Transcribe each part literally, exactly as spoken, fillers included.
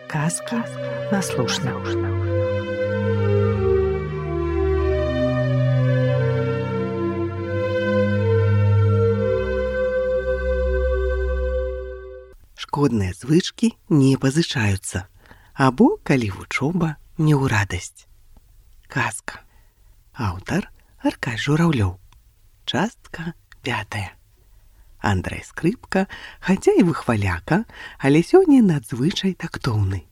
Казки на слушна. Шкодныя звычкі не пазычаюцца, або калі вучоба не ў радасць. Казка. Аўтар Аркадзь Журавлёў. Частка пятая. Андрэй Скрыпка, хаця і выхваляка, але сёння надзвычай тактоўны.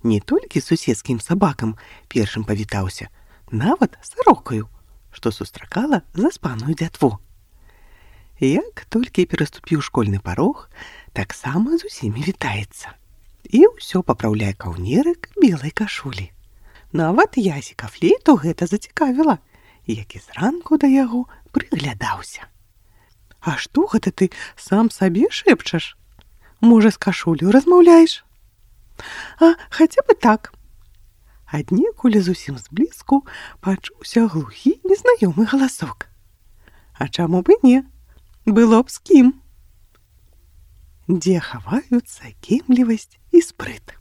Не толькі з суседскім сабакам першым павітаўся, нават з сарокаю, што сустракала заспаную дзятву. Як толькі пераступіў школьны парог, таксама з усімі вітаецца. І ўсё папраўляе каўнерык белай кашулі. Нават Ясіка Флейту гэта зацікавіла, які зранку да яго прыглядаўся. А што гэта ты сам сабе шэпчаш? Можа, з кашулю размаўляеш? А, хаця бы так. Аднекуль зусім зблізку пачуўся глухі незнаёмы галасок. А чаму б і не? Было б з кім. Дзе хаваюцца кемлівасць і спрыт.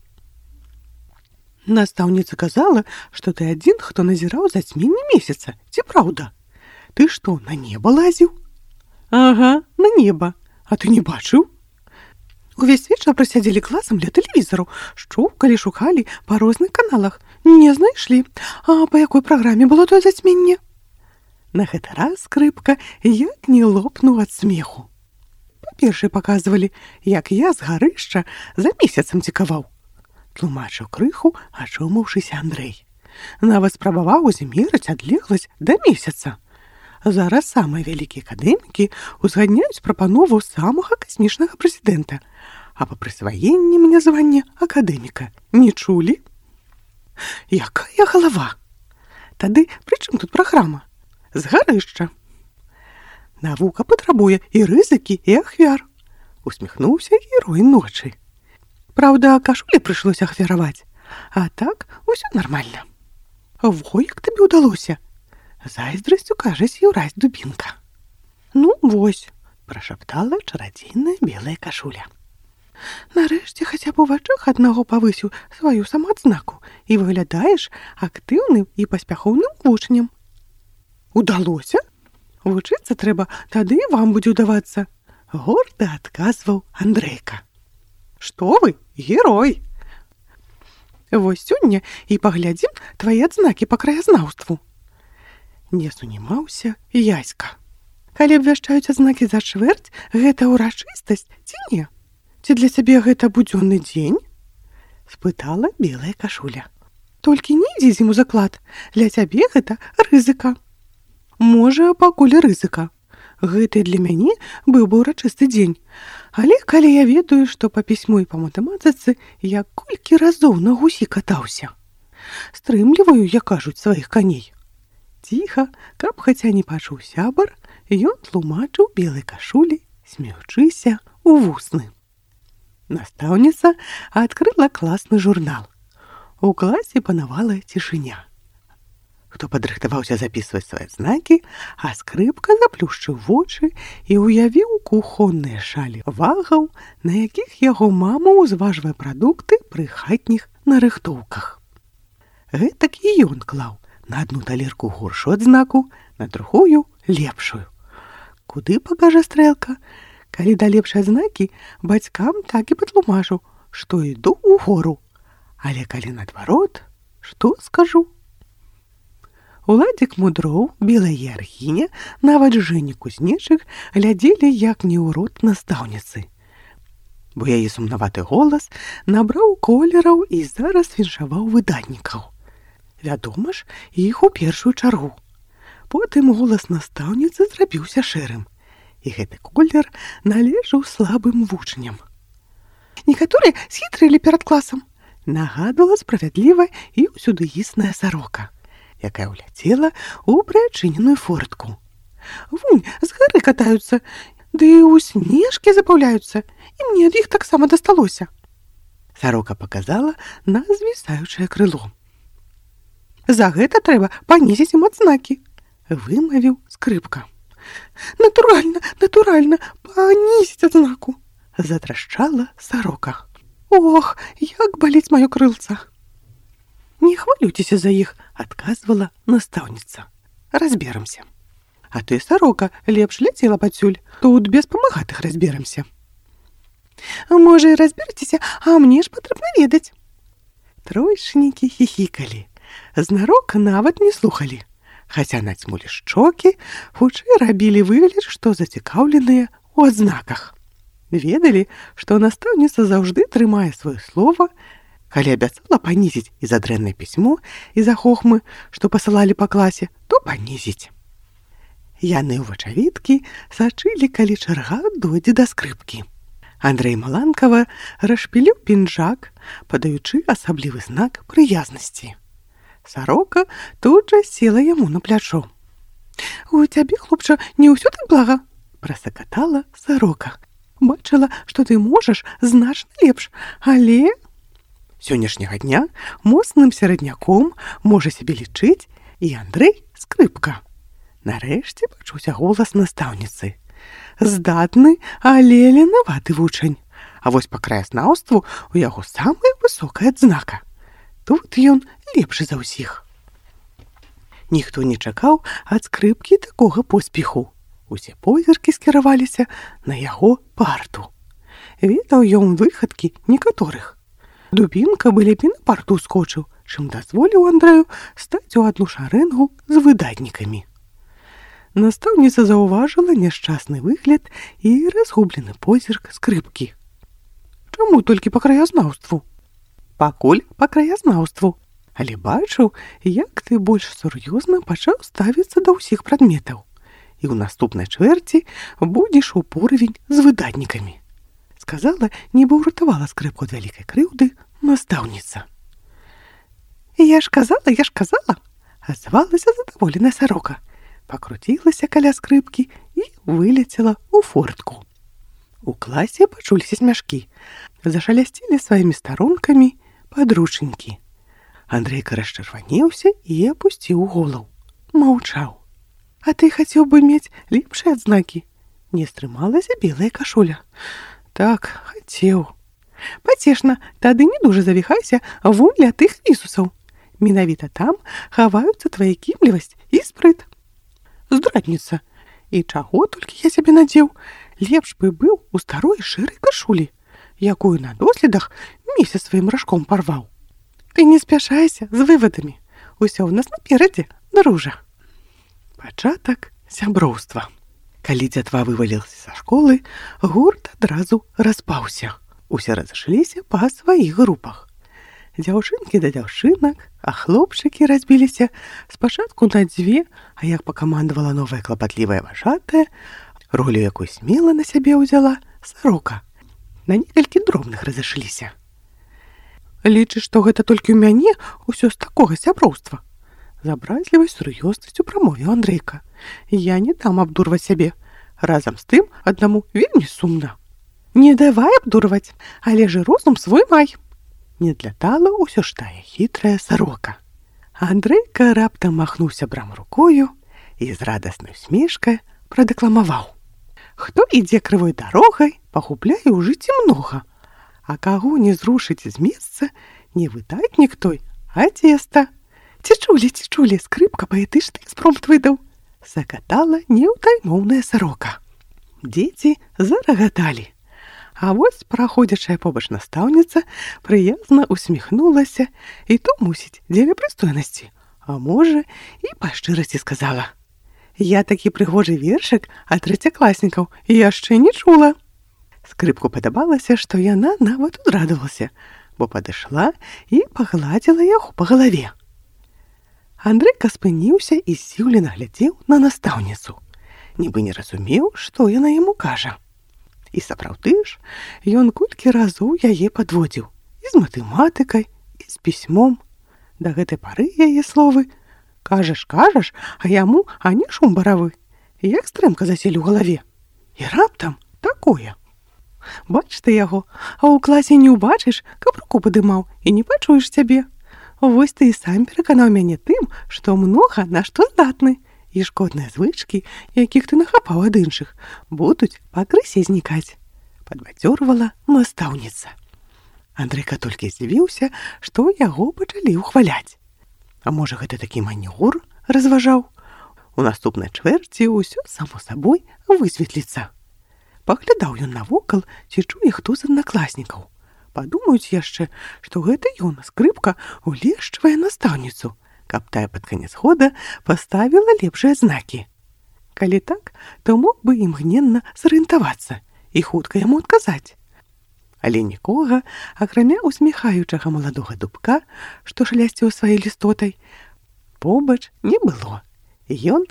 Настаўніца казала, што ты адзін, хто назіраў зацьменне месяца. Ці праўда? Ты што, на неба лазіў? Ага, на неба. А ты не бачыў? Увесь вечар прасядзелі класам ля тэлевізару, шчупкалі, шукалі па розных каналах. Не знайшлі. А па якой праграме было тое зацьменне? На гэты раз Скрыпка як не лопнуў ад смеху. Па-першае паказвалі, як я з гарышча за месяцам цікаваў. Тлумачыў крыху, ачомаўшыся Андрэй. Нават спрабаваў змерыць адлегласць да месяца. Зараз самыя вялікія акадэмікі узгадняюць прапанову самага касмічнага прэзідэнта, а па прысваенні мне звання акадэміка не чулі? Якая галава? Тады пры чым тут праграма? З гарышча. Навука патрабуе і рызыкі, і ахвяр. Усміхнуўся герой ночы. Праўда, кашулі прыйшлося ахвяраваць, а так усё нармальна. Во, як табе ўдалося? Зайздрасцю, кажа, з'яўраць дубінка. Ну, вось, прашаптала чарадзейная белая кашуля. Нарэшце хаця б у вачах аднаго павысіў сваю самаадзнаку і выглядаеш актыўным і паспяхоўным вучнем. Удалося? Вучыцца трэба, тады і вам будзе ўдавацца, горда адказваў Андрэйка. Што вы, герой! Вось сёння і паглядзім твае адзнакі па краязнаўству. Не сунімаўся Яська. Калі абвяшчаюць адзнакі за чвэрць, гэта ўрачыстасць ці не? Ці для цябе гэта будзённы дзень? Спытала белая кашуля. Толькі не ідзі з ім у заклад, для цябе гэта рызыка. Можа, пакуль рызыка. Гэта для мяне быў бы ўрачысты дзень. Але калі я ведаю, што па пісьму і па матэматыцы я колькі разоў на гусі катаўся. Стрымліваю, як кажуць, сваіх каней. Ціха, каб хаця не пачуў сябар, ён тлумачыў белай кашулі, смеючыся у вусны. Настаўніца адкрыла класны журнал. У класе панавала цішыня. Хто падрыхтаваўся запісваць свае знакі, а Скрыпка заплюшчыў вочы і ўявіў кухонныя шалі вагаў, на якіх яго мама ўзважвае прадукты пры хатніх нарыхтоўках. Гэтак і ён клаў на адну талерку горшую адзнаку, на другую лепшую. Куды пакажа стрэлка? Калі да лепшай адзнакі, бацькам так і патлумачу, што іду ў гору. Але калі наадварот, што скажу? Уладзік Мудроў, белая яргіня, нават Жэня Кузнечык глядзелі як не ў рот настаўніцы. Бо яе сумнаваты голас набраў колераў і зараз віншаваў выдатнікаў. Вядома ж, іх у першую чаргу. Потым голас настаўніцы зрабіўся шэрым, і гэты колер належаў слабым вучням. Некаторыя схітрылі перад класам, нагадвала справядліва і ўсюдыісная сарока, якая ўляцела ў прыадчыненую фортку. Вунь, з гары катаюцца, ды ў снежкі запаўляюцца, і мне ад іх таксама дасталося. Сарока паказала на звісаючае крыло. За гэта трэба панізіць ім адзнакі, вымавіў Скрыпка. Натуральна, натуральна, панізіць адзнаку, затрашчала сарока. Ох, як баліць маё крылца. Не хвалюйцеся за іх, адказвала настаўніца. Разберамся. А ты, сарока, лепш ляцела падсюль, тут без памагатых разберамся. Можа, і разберцеся, а мне ж патрэбна ведаць. Тройчнікі хіхікалі, знарок нават не слухалі, хаця нацьмулі шчокі, хутчэй рабілі выгляд, што зацікаўленыя ў адзнаках. Ведалі, што настаўніца заўжды трымае сваё слова, калі абяцала панізіць і за дрэннае пісьмо, і за хохмы, што пасылалі па класе, то панізіць. Яны ў вачавіткі сачылі, калі чарга дойдзе да скрыпкі. Андрэй Маланкава расшпіліў пінжак, падаючы асаблівы знак прыязнасці. Сарока тут жа села яму на плячо. «У цябе, хлопча, не ўсё так блага?» – прасакатала сарока. «Бачыла, што ты можаш значна лепш, але...» Сённяшняга дня моцным серадняком можа сябе лічыць і Андрэй Скрыпка. Нарэшце пачуўся голас настаўніцы. Здатны, але ленаваты вучань. А вось па краязнаўству у яго самая высокая адзнака. Тут ён лепшы за ўсіх. Ніхто не чакаў ад Скрыпкі такога поспеху. Усе позіркі скіраваліся на яго парту. Ведаў ён выхадкі некаторых. Дубінка бы лепей на парту скочыў, чым дазволіў Андрэю стаць у адну шарэнгу з выдатнікамі. Настаўніца заўважыла няшчасны выгляд і разгублены позірк Скрыпкі. Чаму толькі па краязнаўству? Пакуль па краязнаўству. Але бачыў, як ты больш сур'ёзна пачаў ставіцца да ўсіх прадметаў. І ў наступнай чвэрці будзеш у поравень з выдатнікамі. Сказала, нібы ўратавала Скрыпку ад вялікай крыўды настаўніца. Я ж казала, я ж казала, азвалася задаволеная сарока. Пакруцілася каля Скрыпкі і вылецела ў фортку. У класе пачуліся смяшкі. Зашалясцілі сваімі старонкамі падручнікі. Андрейка расчырванеўся і апусціў голову. Маўчаў. А ты хацеў бы мець лепшыя адзнакі? Не стрымалася белая кашуля. Так, хацеў. Пацешна, тады не дужа завіхайся вунь ля тых вісусаў. Менавіта там хаваюцца твая кімлівасць і спрыт. Здрадніца. І чаго толькі я сябе надзеў? Лепш бы быў у старой шэрай кашулі, якую на доследах месяц сваім ражком парваў. Ты не спяшайся з вывадамі. Усё ў нас наперадзе, дружа. Пачатак сяброўства. Калі дзятва вывалілася са школы, гурт адразу распаўся. Усе разышліся па сваіх групах. Дзяўчынкі да дзяўчынак, а хлопчыкі разбіліся спачатку на дзве, а як пакамандавала новая клапатлівая важатая, ролю якой смела на сябе ўзяла сарока. На некалькі дробных разышліся. Лічыш, што гэта толькі ў мяне ўсё з такога сяброўства? З абразлівай сур'ёзнасцю прамовіў Андрейка. Я не дам абдурваць сябе. Разам з тым аднаму вельмі сумна. Не давай абдурваць, але ж розум свой май. Не длятала ўсё ж тая хітрая сарока. Андрейка раптам махнуў сябрам рукою і з радаснай усмешкай прадэкламаваў. Хто ідзе крывой дарогай, пагубляе ў жыцці многа. А каго не зрушыць з месца, не выдатнік той, а цеста. Ці чулі, ці чулі, Скрыпка паэтычны экспромт выдаў. Закатала неўтаймоўная сарока. Дзеці зарагаталі. А вось праходзячая побач настаўніца прыязна усміхнулася і то, мусіць, дзеля прыстойнасці. А можа, і па шчырасці сказала. Я такі прыгожы вершык ад трэцякласнікаў яшчэ не чула. Скрыпку падабалася, што яна нават узрадавалася, бо падышла і пагладзіла яго па галаве. Андрейка спыніўся і здзіўлена глядзеў на настаўніцу. Нібы не разумеў, што яна яму кажа. І сапраўды ж, ён колькі разоў яе падводзіў. І з матэматыкай, і з пісьмом. Да гэтай пары яе словы «кажаш, кажаш, а яму ані шум баравы». Як стрэмка заселі ў галаве. І раптам такое. Бач ты яго, а ў класе не ўбачыш, каб руку падымаў, і не пачуеш цябе. Вось ты і сам пераканаў мяне тым, што многа на што здатны. І шкодныя звычкі, якіх ты нахапаў ад іншых, будуць пакрысе знікаць. Падбадзёрвала настаўніца. Андрейка толькі здзівіўся, што яго пачалі ўхваляць. А можа, гэта такі манёвр, разважаў? У наступнай чвэрці ўсё само сабой высветліцца. Паглядаў ён навокал, ці чуе хто з аднакласнікаў. Падумаюць яшчэ, што гэта ён, скрыпка, улешчвае настаўніцу, каб тая пад канец года паставіла лепшыя знакі. Калі так, то мог бы імгненна зарыентавацца і хутка яму адказаць. Але нікога, акрамя усміхаючага маладога дубка, што шлясціў сваёй лістотай, побач не было. Ён,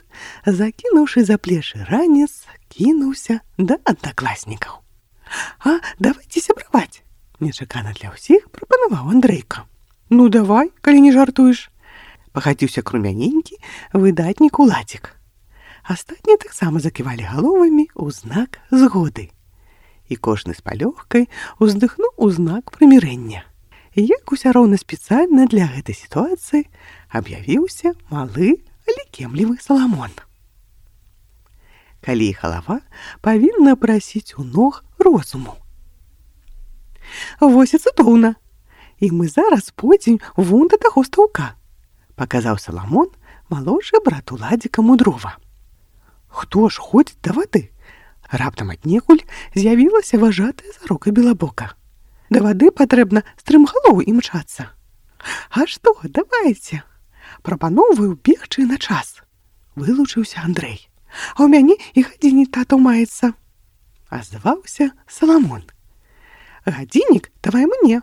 закінуўшы за плечы ранец, кінуўся да аднакласнікаў. «А, давайце сябраваць!» Нечакана для ўсіх прапанаваў Андрейка. «Ну, давай, калі не жартуеш!» Пахадзіўся крумяненькі выдатнік Уладзік. Астатнія таксама заківалі галовамі ў знак згоды. І кожны з палёгкай уздыхнуў у знак прымірэння. Як уся роўна спецыяльна для гэтай сітуацыі аб'явіўся малы, але кемлівы Саламон. Калі галава павінна прасіць у ног розуму. «Вось і цудоўна! І мы зараз пойдзем вон да таго стаўка», паказаў Саламон малодшы брат Уладзіка Мудрова. «Хто ж ходзіць да вады?» Раптам аднекуль з'явілася важатая Зарока Белабока. «Да вады патрэбна стрымгалоў імчацца». «А што, давайце! Прапаноўваю бегчы на час», вылучыўся Андрэй. «А ў мяне і гадзіннік татаў маецца», азваўся Саламон. «Гадзіннік давай мне»,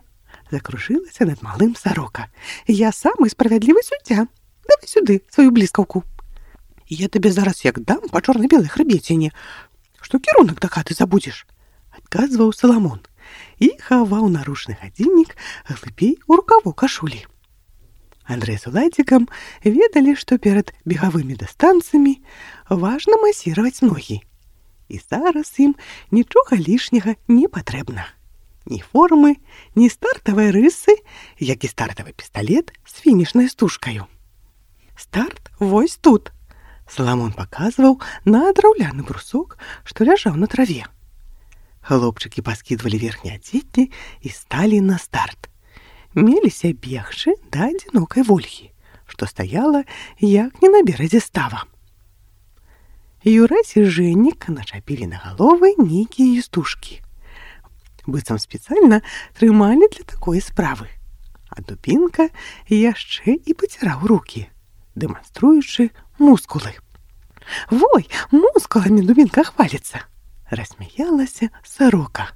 закружылася над малым Зарока. «Я самы справядлівы суддзя. Давай сюды сваю бліскаўку. Я табе зараз як дам па чорна-белай хрыбеціне, што кірунак да хаты забудзеш», адказваў Саламон і хаваў наручны гадзіннік глыбей у рукаву кашулі. Андрэй з Уладзікам ведалі, што перад бегавымі дыстанцыямі важна масіраваць ногі. І зараз ім нічога лішняга не патрэбна. Ні формы, ні стартавай рысы, як і стартавы пісталет з фінішнай стужкаю. «Старт вось тут», Саламон паказваў на драўляны брусок, што ляжаў на траве. Хлопчыкі паскідвалі верхнія адзенні і сталі на старт. Меліся бегчы да адзінокай вольхі, што стаяла як не на беразе става. Юрась і Жэннік начапілі на галовы нейкія істужкі. Быццам спецыяльна трымалі для такой справы. А Дубінка яшчэ і паціраў рукі, дэманструючы мускулы. «Вой, мускуламі Дубінка хваліцца!» рассмяялася Зарока.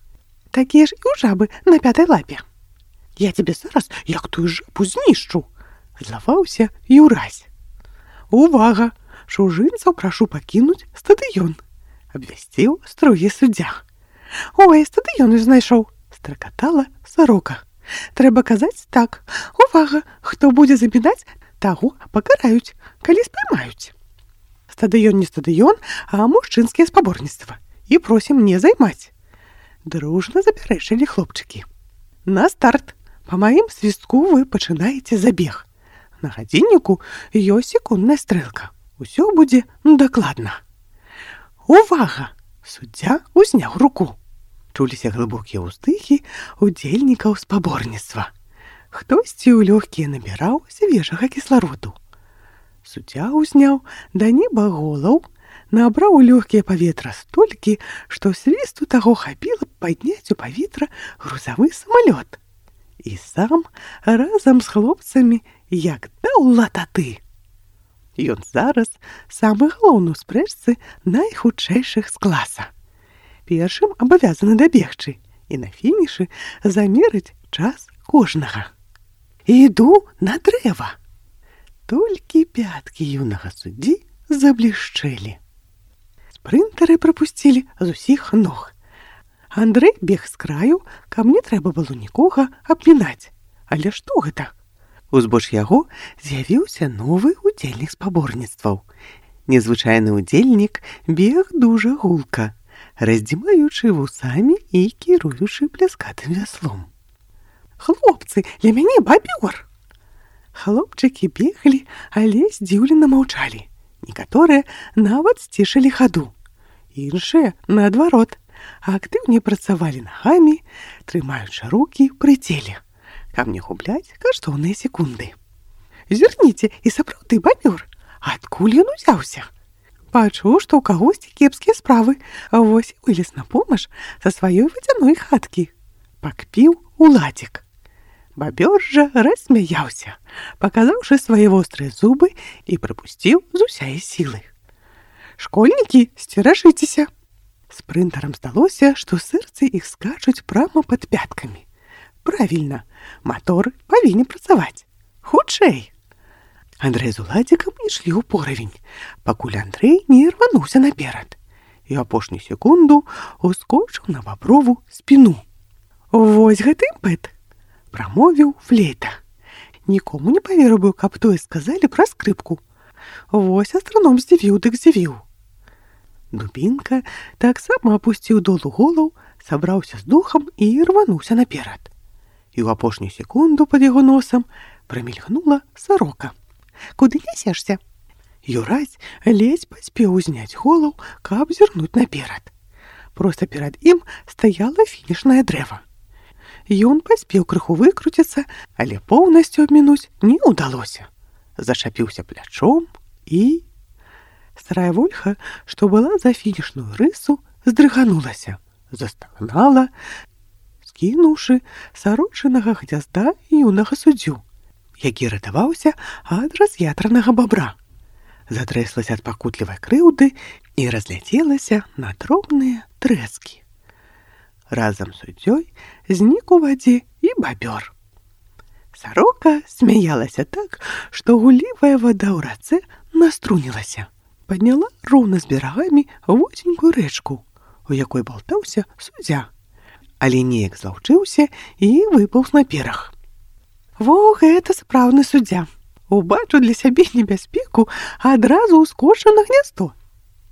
«Такія ж і ў жабы на пятай лапе. Я тебе зараз як тую жабу знішчу!» злаваўся Юрась. «Увага! Чужынцаў прашу пакінуць стадыён!» абвясціў строгі суддзя. «Ой, стадыён знайшоў!» стракатала Зарока. «Трэба казаць так. Увага! Хто будзе замінаць, таго пакараюць, калі спрымаюць. Стадыён не стадыён, а мужчынскія спаборніцтва. І просім не займаць». Дружна запярэчылі хлопчыкі. «На старт! Па маім свістку вы пачынаеце забег. На гадзінніку ёсць секундная стрэлка. Усё будзе дакладна. Увага!» Суддзя узняў руку. Чуліся глыбокія ўздыхі удзельнікаў спаборніцтва. Хтосьці ў лёгкія набіраў свежага кіслароду. Суддзя ўзняў да неба голаў, набраў у лёгкія паветра столькі, што свісту таго хапіла падняць у паветра грузавы самалёт. І сам разам з хлопцамі як даў лататы. Ён зараз самы галоўны ў спрэчцы найхутчэйшых з класа. Першым абавязаны дабегчы і на фінішы замерыць час кожнага. «Іду на дрэва!» Толькі пяткі юнага суддзі заблішчэлі. Спрынтары прапусцілі з усіх ног. Андрэй бег з краю, каб не трэба было нікога абмінаць. Але што гэта? Узбоч яго з'явіўся новы удзельнік спаборніцтваў. Незвычайны удзельнік бег дужа гулка, раздзімаючы вусамі і кіруючы пляскатым вяслом. «Хлопцы, для мяне бабёр!» Хлопчыкі беглі, але здзіўлена маўчалі. Некаторыя нават сцішылі хаду. Іншыя, наадварот, а актыўней працавалі нагамі, трымаючы рукі пры целе, каб не губляць каштоўныя секунды. Зірніце, і сапраўды бабёр, адкуль ён узяўся? Пачуў, што ў кагосьці кепскія справы, а вось і вылез на помаш са сваёй вадзяной хаткі. Пакпіў уладзік. Бабёр жа рассмяяўся, паказаўшы свае вострыя зубы і прыпусціў з усяе сілы. Школьнікі, сцеражыцеся! Спрынтарам здалося, што сэрцы іх скачуць прама пад пяткамі. Правільна, матор павінен працаваць. Хутчэй! Андрэй з уладзікам ішлі ў поравень, пакуль Андрэй не рвануўся наперад і апошнюю секунду ускочыў на баброву спіну. «Вось гэты імпэт!» – прамовіў флейта. Нікому не паверыў бы, каб тое сказалі пра скрыпку. Вось астраном здзівіў дык здзівіў. Дубінка таксама апусціў долу голаў, сабраўся з духам і рвануўся наперад. І ў апошнюю секунду пад яго носам прамільгнула сарока. «Куды нясешся?» Юрась ледзь паспеў узняць голаў, каб зірнуць наперад. Проста перад ім стаяла фінішнае дрэва. Ён паспеў крыху выкруціцца, але поўнасцю абмінуць не ўдалося. Зачапіўся плячом і... Старая вольха, што была за фінішную рысу, здрыганулася, застагнала, скінуўшы сарочынага гнязда юнага суддзю, які ратаваўся ад раз'ятранага бабра. Затрэслася ад пакутлівай крыўды і разляцелася на дробныя трэскі. Разам з суддзёй знік у вадзе і бабёр. Сарока смяялася так, што гуллівая вада ў рацэ наструнілася. Падняла роўна з берагамі вузенькую рэчку, у якой балтаўся суддзя, але неяк злаўчыўся і выпаўз на бераг. Во, гэта сапраўдны суддзя. Убачыў для сябе небяспеку, а адразу ўскочыў на гняздо.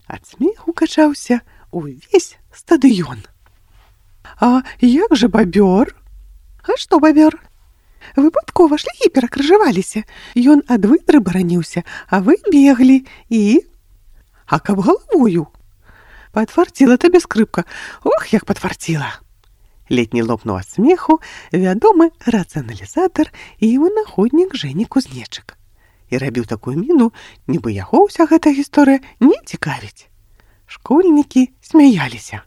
Ад смеху качаўся увесь стадыён. А як жа бабёр? А што бабёр? Выпадкова шляхі перакрыжаваліся. Ён ад выдры бараніўся, а вы беглі і... А каб галавою? Падфарціла табе скрыпка. Ох, як падфарціла! Летні лопнуў ад смеху вядомы рацыяналізатар і вынаходнік Жэні Кузнечык. І рабіў такую міну, нібы яго ўся гэта гісторыя не цікавіць. Школьнікі смяяліся.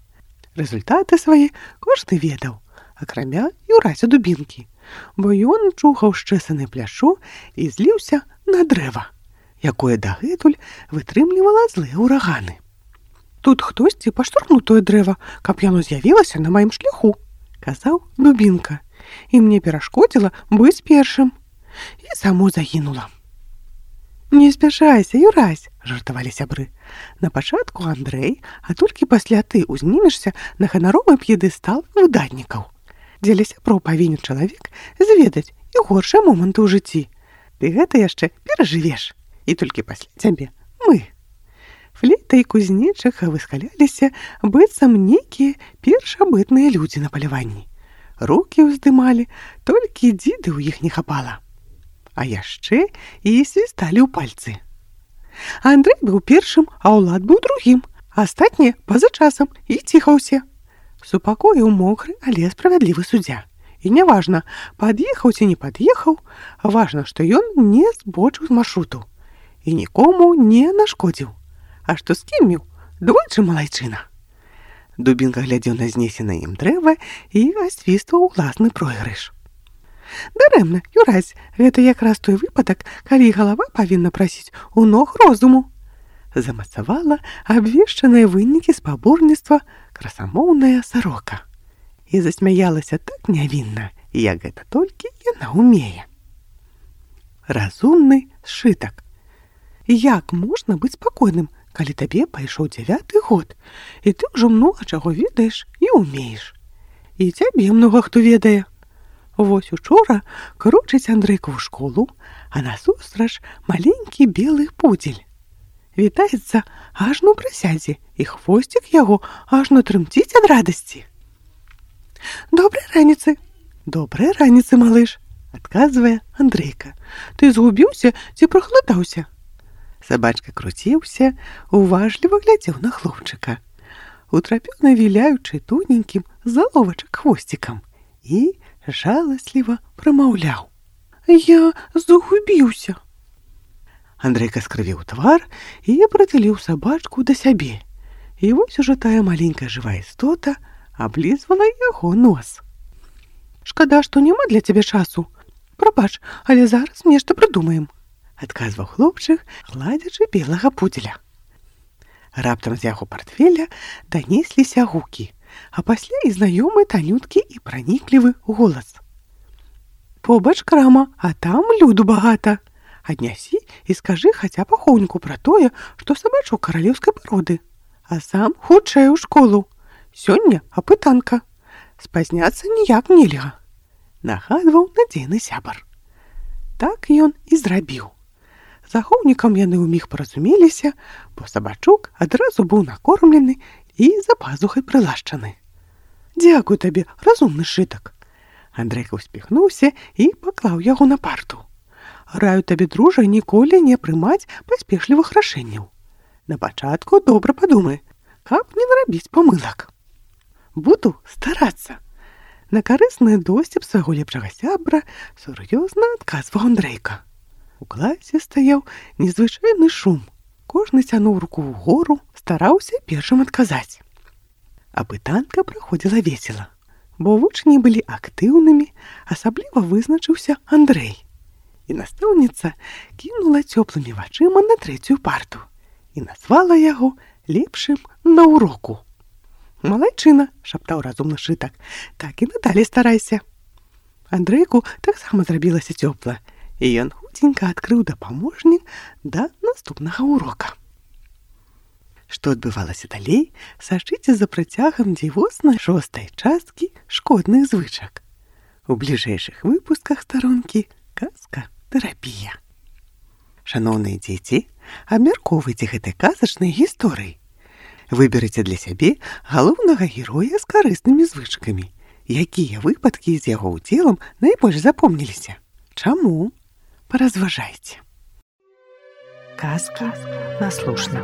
Рэзультаты свае кожны ведаў, акрамя Юрася Дубінкі, бо ён чухаў шчэсаны пляшо і зліўся на дрэва, якое дагэтуль вытрымлівала злыя ўраганы. «Тут хтосьці паштурхнуў тое дрэва, каб яно з'явілася на маім шляху», казаў Дубінка, і мне перашкодзіла быць першым. І саму загінула. «Не спяшайся, Юрась», – жартавалі сябры. «На пачатку Андрэй, а толькі пасля ты ўзнімешся на ганаровы п'едэстал выдатнікаў. Дзеля сяброў павінен чалавек зведаць і горшыя моманты ў жыцці. Ты гэта яшчэ перажывеш, і толькі пасля цябе мы». Флейта і Кузнечык выскаляліся, быццам нейкія першабытныя людзі на паляванні. Рукі ўздымалі, толькі дзіды ў іх не хапала. А яшчэ і свісталі ў пальцы. Андрэй быў першым, а ўлад быў другім, а астатнія па-за часам і ціха ўсе. Супакоіў мокры, але справядлівы суддзя. І няважна, пад'ехаў ці не пад'ехаў, важна, што ён не збочыў з маршруту і нікому не нашкодзіў. А што скіміў, двойчы малайчына. Дубінка глядзеў на знесенае ім дрэва і асвістваў уласны пройгрыш. Дарэмна, Юрась, гэта якраз той выпадак, калі галава павінна прасіць у ног розуму. Замацавала абвешчаныя вынікі спаборніцтва красамоўная сарока. І засмяялася так нявінна, як гэта толькі яна ўмее. Разумны сшытак. Як можна быць спакойным, калі табе пайшоў дзявяты год, і ты ўжо многа чаго ведаеш і ўмееш. І цябе многа хто ведае. Вось учора крочыць Андрейка ў школу, а насустрач маленькі белы пудзель. Вітаецца ажно ў прысядзе, і хвосцік яго ажно трымціць ад радасці. «Добрай раніцы!» «Добрай раніцы, малыш!» – адказвае Андрейка. «Ты згубіўся ці прахладаўся?» Сабачка круціўся, уважліва глядзеў на хлопчыка. утрапёна віляючы тоненькім заловачак хвосцікам, і жаласліва прамаўляў: «Я загубіўся». Андрейка скрывіў твар і прытуліў сабачку да сябе. І вось ужо тая маленькая жывая істота аблізвала яго нос. «Шкада, што няма для цябе часу. Прабач, але зараз нешта прыдумаем», — адказваў хлопчык, гладзячы белага пудзеля. Раптам з яго партфеля данесліся гукі, а пасля і знаёмы танюткі і праніклівы голас. «Побач крама, а там люду багата. Аднясі і скажы хаця б ахоўніку пра тое, што сабачок каралеўскай пароды. А сам хутчэй у школу. Сёння апытанка. Спазняцца ніяк нельга», — нагадваў надзейны сябар. Так ён і зрабіў. З ахоўнікам яны ўміг паразумеліся, бо сабачок адразу быў накормлены і за пазухай прылашчаны. «Дзякуй табе, разумны шытак». Андрейка ўспіхнуўся і паклаў яго на парту. «Раю табе, дружа, ніколі не прымаць паспешлівых рашэнняў. На пачатку добра падумай, каб не нарабіць памылак». «Буду старацца», — на карысны досціп свайго лепшага сябра сур'ёзна адказваў Андрейка. У класе стаяў незвычайны шум. Кожны цянуў руку ўгору, стараўся першым адказаць. Апытанка праходзіла весела, бо вучні былі актыўнымі, асабліва вызначыўся Андрэй. І настаўніца кінула цёплымі вачыма на трэцюю парту і назвала яго лепшым на уроку. «Малайчына», — шаптаў разумны шытак, — «так і надалей старайся». Андрейку таксама зрабілася цёпла, і ён хуценька адкрыў дапаможнік да наступнага урока. Што адбывалася далей, сачыце за працягам дзівоснай шостай часткі шкодных звычак. У бліжэйшых выпусках старонкі «Казка-тэрапія». Шаноўныя дзеці, абмяркоўвайце гэтай казачнай гісторыі. Выберыце для сябе галоўнага героя з карыснымі звычкамі. Якія выпадкі з яго ўдзелам найбольш запомніліся? Чаму? Паразважайце. Казка наслушна.